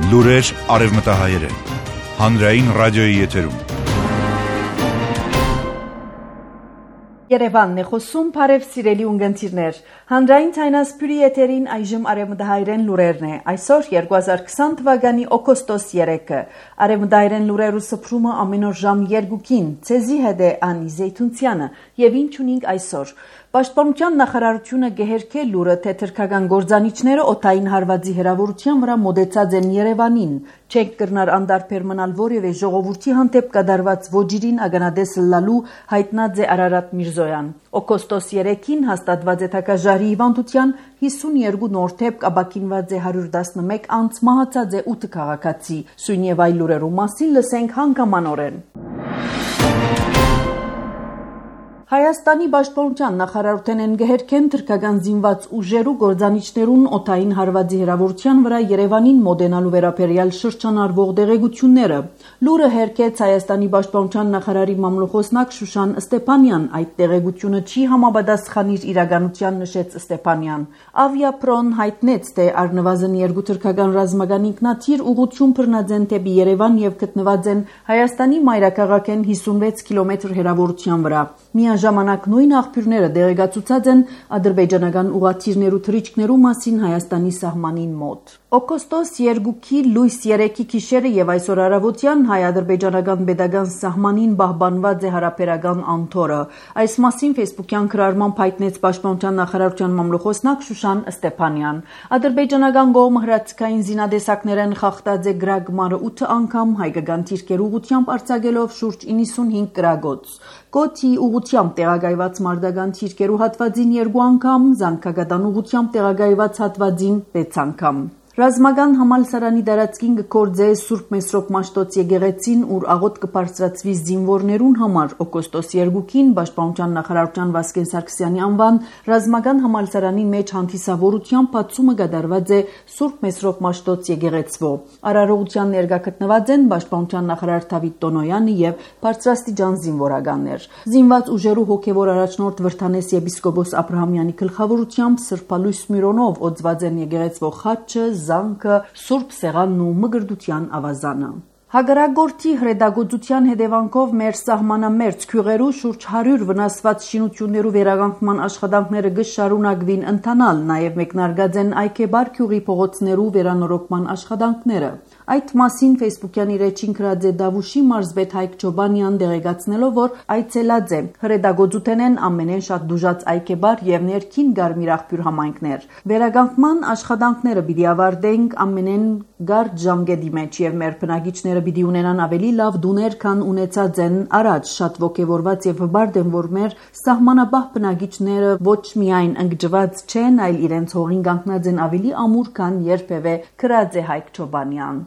Լուրեր արևմտահայերեն։ Հանրային ռադիոյի եթերում։ Երևանն է խոսում, բարև սիրելի ունգընտիրներ։ Հանրային ցայնասպյուրի եթերին այժմ արևմտահայերեն լուրերն է։ Այսօր 2020 թվականի օգոստոս 3-ը։ Արևմտահայերեն լուրերու սփռումը ամեն օր ժամ 2-ին։ Ցեզի հետ է Անի Զեյթունցյանը եւ ինչ ունենք այսօր։ Պաշտպանության նախարարությունը գեհերքե լուրը, թե թրքական գործանիչները օդային հարվածի հրավերության վրա մոտեցած են Երևանին։ Չենք կրնար անդարբեր մնալ որևէ ժողովրդի հանդեպ կատարված ոճիրին ագանադես լալու հայտնած է Արարատ Միրզոյան։ Օգոստոս 3-ին հաստատված է թակաժարի հիվանդության 52 նոր դեպք, ապաքինված է 111 անց, մահացած է 8 քաղաքացի։ Սույն եւ այլ լուրերու մասին լսենք հանգամանորեն։ Հայաստանի պաշտպանության նախարարութեն են գեհերքեն թրքական զինված ուժերու գործանիչներուն օդային հարվածի հրավերության վրա Երևանին մոտենալու վերաբերյալ շրջանառվող դեղեցությունները։ Լուրը հերքեց Հայաստանի պաշտպանության նախարարի մամլոխոսնակ Շուշան Ստեփանյան։ Այդ դեղեցությունը չի համապատասխանիր իրականության, նշեց Ստեփանյան։ Ավիապրոն հայտնեց, թե առնվազն 2 թրքական ռազմական ինքնաթիռ ուղղություն բռնած են դեպի Երևան եւ գտնված են Հայաստանի մայրաքաղաքեն 56 կիլոմետր հեռավորության վրա։ Միաժամանակ նույն աղբյուրները դեղեկացուցած են ադրբեջանական ուղղաթիռներու թռիչքներու մասին Հայաստանի սահմանին մոտ։ Օգոստոս 2-ի լույս 3-ի գիշերը եւ այսօր առավոտյան հայ-ադրբեջանական pedagogan սահմանին պահպանված է հարաբերական անթորը։ Այս մասին Facebook-յան գրառմամբ հայտնեց Պաշտպանության նախարարության մամլոխոսնակ Շուշան Ստեփանյան։ Ադրբեջանական կողմը հրացքային զինադեսակներեն խախտած է գրագմարը 8 անգամ, հայկական թիրքեր ուղղությամբ արձակելով շուրջ 95 գրագոց։ Գոթի ուղղությամբ տեղակայված մարտական թիրքերու հատվածին 2 անգամ, զանգակատան ուղղությամբ տեղակայված հատվածին 6 անգամ։ Ռազմական համալսարանի դարածքին կգործե Սուրբ Մեսրոպ Մաշտոց եկեղեցին, ուր աղոտ կբարձրացվի զինվորներուն համար օգոստոս 2-ին Պաշտպանության նախարարության Վասկեն Սարգսյանի անվան ռազմական համալսարանի մեջ հանդիսավորությամբ բացումը կատարված է Սուրբ Մեսրոպ Մաշտոց եկեղեցվո։ Արարողության ներկա գտնված են Պաշտպանության նախարար Դավիթ Տոնոյանը եւ բարձրաստիճան զինվորականներ։ Զինված ուժերու հոգեվոր առաջնորդ Վրթանես եպիսկոպոս Աբրահամյանի գլխավորությամբ սրբալույս միրոնով օծված են եկեղեցվո խաչը, զանգը, Սուրբ Սեղանն ու մգրդության ավազանը։ Հակառակորդի հրետակոծության հետևանքով մեր սահմանամերձ քյուղերու շուրջ 100 վնասված շինություններու վերականգնման աշխատանքները կշարունակվին ընթանալ, նաև մեկնարկած են Այքեբար քյուղի փողոցներու վերանորոգման աշխատանքները։ Այդ մասին Facebook-յան իր էջին գրած է Դավուշի մարզպետ Հայկ Ջոբանյան, դեղեկացնելով, որ այցելած է հրետակոծութեն են ամենեն շատ դուժած Այքեբար եւ ներքին Գարմիր աղբյուր համայնքներ։ Վերականգնման աշխատանքները պիտի ավարտենք ամենեն գարդ ժամկետի մեջ եւ մեր բնակիչները պիտի ունենան ավելի լավ դուներ, քան ունեցած են առաջ։ Շատ ողջավորված եւ հբարդ եմ, որ մեր սահմանապահ բնակիչները ոչ միայն ընկճված չեն, այլ իրենց հողին կանգնած են ավելի ամուր, քան երբևէ, գրած է Հայկ Ջոբանյան։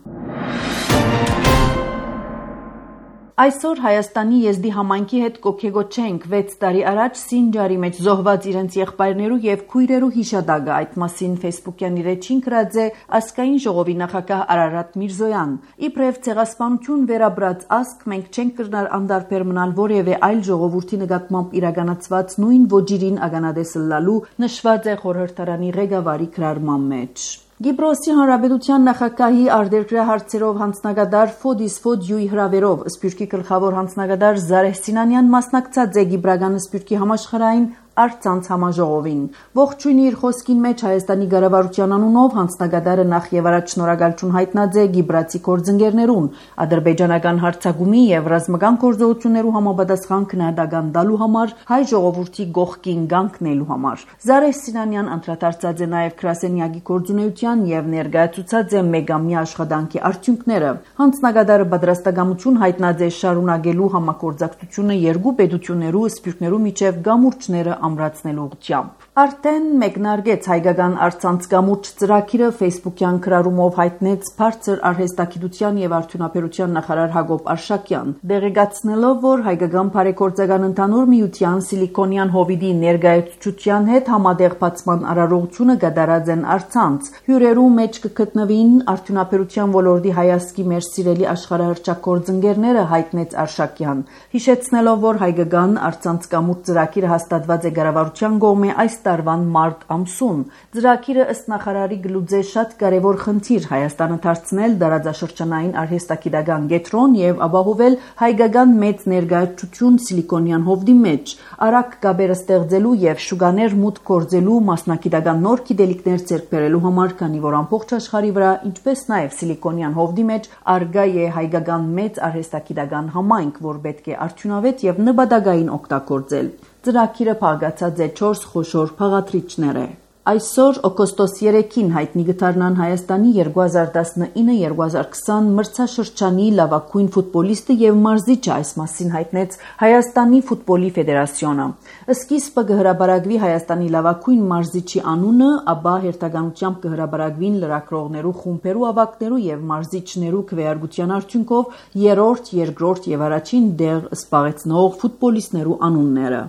Այսօր Հայաստանի եզդի համայնքի հետ կոքեգոչենք 6 տարի առաջ Սինջարի մեջ զոհված իրենց եղբայրներու եւ քույրերու հիշատակը։ Այդ մասին Facebook-յան իր էջին գրած է ազգային ժողովի նախագահ Արարատ Միրզոյան։ Իբրև ցեղասպանություն վերաբրած ազգ, մենք չենք կրնար անդարբեր մնալ որևէ այլ ժողովրդի նկատմամբ իրականացված նույն ոճիրին ագանադես լալու, նշված է խորհրդարանի ղեկավարի գրառման մեջ։ Գիբրոսի հանրապետության նախագահի արտերկրյա հարցերով հանձնագետար Ֆոդիս Ֆոդյուի հրավերով Սփյուռքի գլխավոր հանձնագետար Զարեհ Սինանյան մասնակցած է Գիբրական Սփյուռքի համաշխարհային Արցանց համաժողովին։ Ողջույնի իր խոսքին մեջ Հայաստանի կառավարության անունով հանձնագետարը նախ եւ առաջ շնորհակալություն հայտնած է գիբրացի գործընկերներուն, ադրբեջանական հարձակումի եւ ռազմական գործողություններու համապատասխան քննադատական տալու համար, հայ ժողովրդի գողքին կանգնելու համար։ Զարեհ Սինանյան անդրադարձած է նաեւ գրասենյակի գործունեության եւ ներկայացուցած է մեգամյա աշխատանքի արդյունքները։ Հանձնագետարը պատրաստակամություն հայտնած է շարունակելու համագործակցությունը երկու պետություններու սփյուռքներու միջև գամուրջները ամրացնելու ուղղությամբ։ Արդեն մեկնարկեց հայկական արցանց գամուրջ ծրագիրը Facebook-յան գրառումով հայտնեց բարձր արհեստագիտության եւ արդյունաբերության նախարար Հակոբ Արշակյան, դեղեկացնելով, որ հայկական բարեգործական ընդհանուր միության սիլիկոնյան հովիդի ներկայացուցչության հետ համատեղ բացման արարողությունը կատարած են արցանց։ Հյուրերու մեջ կգտնվին արդյունաբերության ոլորտի հայազգի մեր սիրելի աշխարհահռչակ գործընկերները, հայտնեց Արշակյան, հիշեցնելով, որ հայկական արցանց գամուրջ ծրագիրը հաստատված է է գարավարության կողմէ այս տարվան մարտ ամսուն։ Ծրագիրը ըստ նախարարի գլուծե շատ կարևոր խնդիր Հայաստանը դարձնել դարաձաշրջանային արհեստագիտական կենտրոն եւ ապահովել հայկական մեծ ներկայացություն Սիլիկոնյան հովտի մեջ, արագ կապեր ստեղծելու եւ շուկաներ մուտք գործելու մասնագիտական նոր գիտելիքներ ձեռք բերելու համար, քանի որ ամբողջ աշխարհի վրա, ինչպես նաեւ Սիլիկոնյան հովտի մեջ արգա է հայկական մեծ արհեստագիտական համայնք, որ պետք է արդյունավետ եւ նպատակային օգտագործել։ Ծրագիրը փակացած է 4 խոշոր փաղադրիչներ։ Այսօր օգոստոս 3-ին հայտնի կդառնան Հայաստանի 2019-2020 մրցաշրջանի լավագույն ֆուտբոլիստը եւ մարզիչը, այս մասին հայտնեց Հայաստանի ֆուտբոլի ֆեդերացիոնը։ Սկիզբը կհրապարակվի Հայաստանի լավագույն մարզիչի անունը, ապա հերթականությամբ կհրապարակվին լրագրողներու խումբերու ավագներու եւ մարզիչներու քվեարկության արդյունքով երրորդ, երկրորդ եւ առաջին դեղ զբաղեցնող ֆուտբոլիստներու անունները։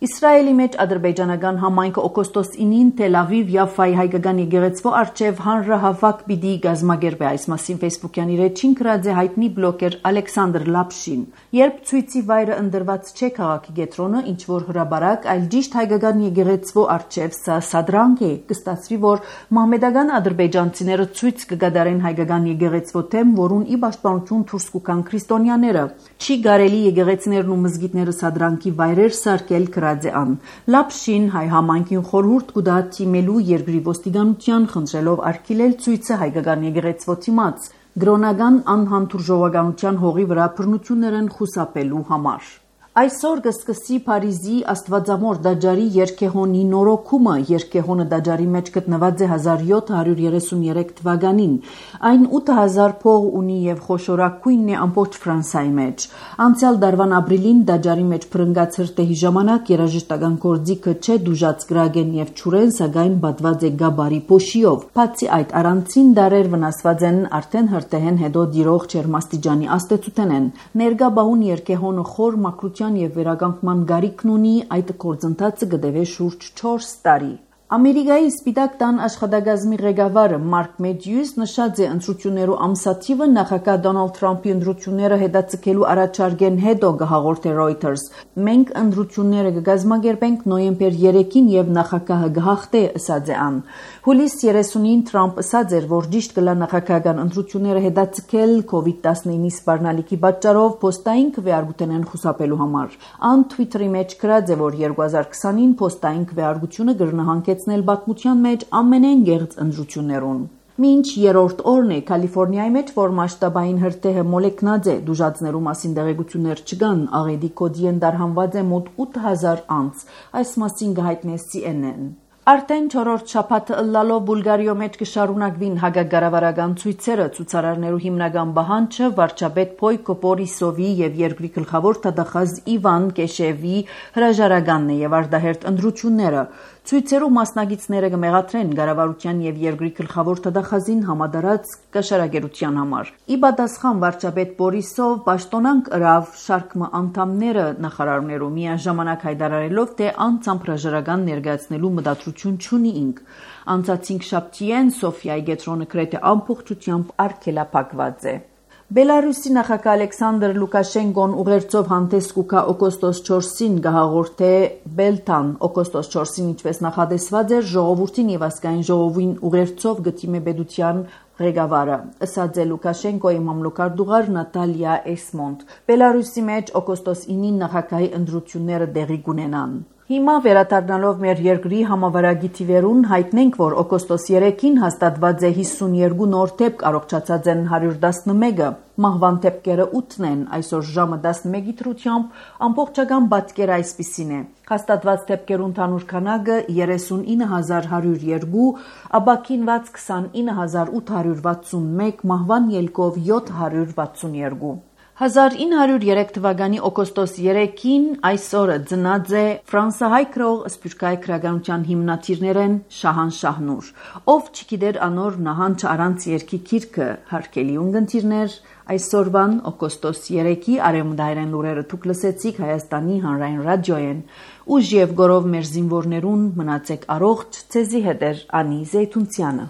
Իսրայելի մեջ ադրբեջանական համայնքը օգոստոս 9-ին Թել Ավիվ Յաֆայի հայկական եկեղեցվո առջև հանրահավաք պիտի կազմակերպի, այս մասին Facebook-յան իր էջին գրած է հայտնի բլոգեր Ալեքսանդր Լապշին։ Երբ ցույցի վայրը ընտրված չէ քաղաքի կենտրոնը, ինչ որ հրաբարակ, այլ ճիշտ հայկական եկեղեցվո առջև, սա սադրանք է, կստացվի, որ մահմեդական ադրբեջանցիները ցույց կգադարեն հայկական եկեղեցվո թեմ, որուն ի պաշտպանություն դուրս կգան քրիստոնյաները։ Չի կարելի եկեղեցիներն ու մզգիթները սադրանքի վայրեր սարքել Լապշին հայ համայնքին խորհուրդ կուտա թիմելու երկրի ոստիկանության, խնդրելով արգելել ցույցը հայկական եկեղեցվո դիմաց գրոնական անհանդուրժողականության հողի վրա բռնություններ են խուսափելու համար։ Այսօր կսկսի Փարիզի Աստվածամոր դաջարի երկեհոնի նորոգումը։ Երկեհոնը դաջարի մեջ գտնված է 1733 թվականին։ Այն 8000 փող ունի եւ խոշորագույնն է ամբողջ Ֆրանսիայի մեջ։ Անցյալ դարվան ապրիլին դաջարի մեջ փրկած հրտեհի ժամանակ երաժշտական գործիքը չէ դուժած գրագեն եւ ճուրեն, սակայն բատված է գաբարի փոշիով։ Բացի այդ, առանցին դարեր վնասված են արդեն հրտեհեն հետո դիրող ջերմաստիճանի աստեցութեն են։ Ներկա բահուն երկեհոնը խոր մակրության եւ վերականգնման գարիքն ունի, այդ գործընթացը կդեվե շուրջ 4 տարի։ Ամերիկայի Սպիտակ տան աշխատակազմի ղեկավարը Մարկ Մեդյուս նշած է ընտրություններու ամսաթիվը նախագահ Դոնալդ Թրամփի ընտրությունները հետաձգելու առաջարկեն հետո կհաղորդե Reuters։ Մենք ընտրությունները կկազմակերպենք նոյեմբեր 3-ին եւ նախագահը կհաղթե, ըսած է ան։ Հուլիս 30-ին Թրամփ ըսած էր, որ ճիշտ կլա նախագահական ընտրությունները հետաձգել COVID-19-ի սպառնալիքի պատճառով փոստային քվեարկությունեն խուսափելու համար։ Ան Twitter-ի մեջ գրած է, որ 2020-ին փոստային քվեարկությունը կգրնահանգեցնել պատմության մեջ ամենեն գեղձ ընտրություններուն։ Մինչ երրորդ օրն է Կալիֆոռնիայի մեջ, որ մասշտաբային հրտեհը մոլեկնած է, դուժածներու մասին տեղեկություններ չկան, աղետի կոդի են դարհանված է մոտ 8000 անց, այս մասին կհայտնի CNN։ Արդեն 4-րդ շաբաթը ըլլալով Բուլգարիո մեջ կշարունակվին հագագարավարական ցույցերը, ցուցարարներու հիմնական բանջը վարչապետ Պոյկո Բորիսովի եւ երկրի գլխավոր տվյալ Իվան Կեշևի հրաժարականն է եւ արդահերթ ընտրությունները։ Ցույցերու մասնակիցները կմեղադրեն կառավարության եւ երկրի գլխավոր տվյալին համադարած կաշառակերության համար։ Ի պատասխան վարչապետ Բորիսով պաշտոնանք ըրավ շարքը անդամները նախարարներու միաժամանակ հայտարարելով, թե անցամբ հրաժարական ներկայացնելու մտադրություն չունի ինք։ Անցած 5 շաբթիեն Սոֆիայի կենտրոնը գրեթե ամբողջությամբ արգելափակված է։ Բելարուսի նախագահ Ալեքսանդր Լուկաշենկոն ուղերձով հանդես կուքա օգոստոս 4-ին կհաղորդե Բելտան։ Օգոստոս 4-ին, ինչպես նախադեсված էր, ժողովրդին եւ ազգային ժողովին ուղերձով գտիմե պետության ղեկավարը, ըսած է Լուկաշենկոյի մամլոքարտուղար Նատալիա Էսմոնդ։ Բելարուսի մեջ օգոստոս 9-ին նախագահի ընտրությունները տեղի կունենան։ Հիմա վերադառնալով մեր երկրի համավարակի թիվերուն հայտնենք, որ օգոստոս 3-ին հաստատված է 52 նոր դեպք, առողջացած են 111-ը, մահվան դեպքերը 8-ն են, այսօր ժամը 11-ի դրությամբ ամբողջական պատկերը այսպիսին է։ Հաստատված դեպքերու ընդհանուր քանակը 39102, ապաքինված 29861, մահվան ելքով 762։ 1903 թվականի օգոստոս 3-ին այսօրը ծնած է ֆրանսահայ գրող սփյուռքահայ քրագանության հիմնադիրներեն Շահանշահնուր, ով չգիտեր անոր նահանջ առանց երկի գիրքը, հարգելի ունգընտիրներ, այսօրվան օգոստոս 3-ի արևմտահայերեն լուրերը դուք լսեցիք Հայաստանի հանրային ռադիոյեն, ուժ եւ գորով մեր զինվորներուն մնացեք առողջ, ցեզի հետ էր Անի Զեյթունցյանը։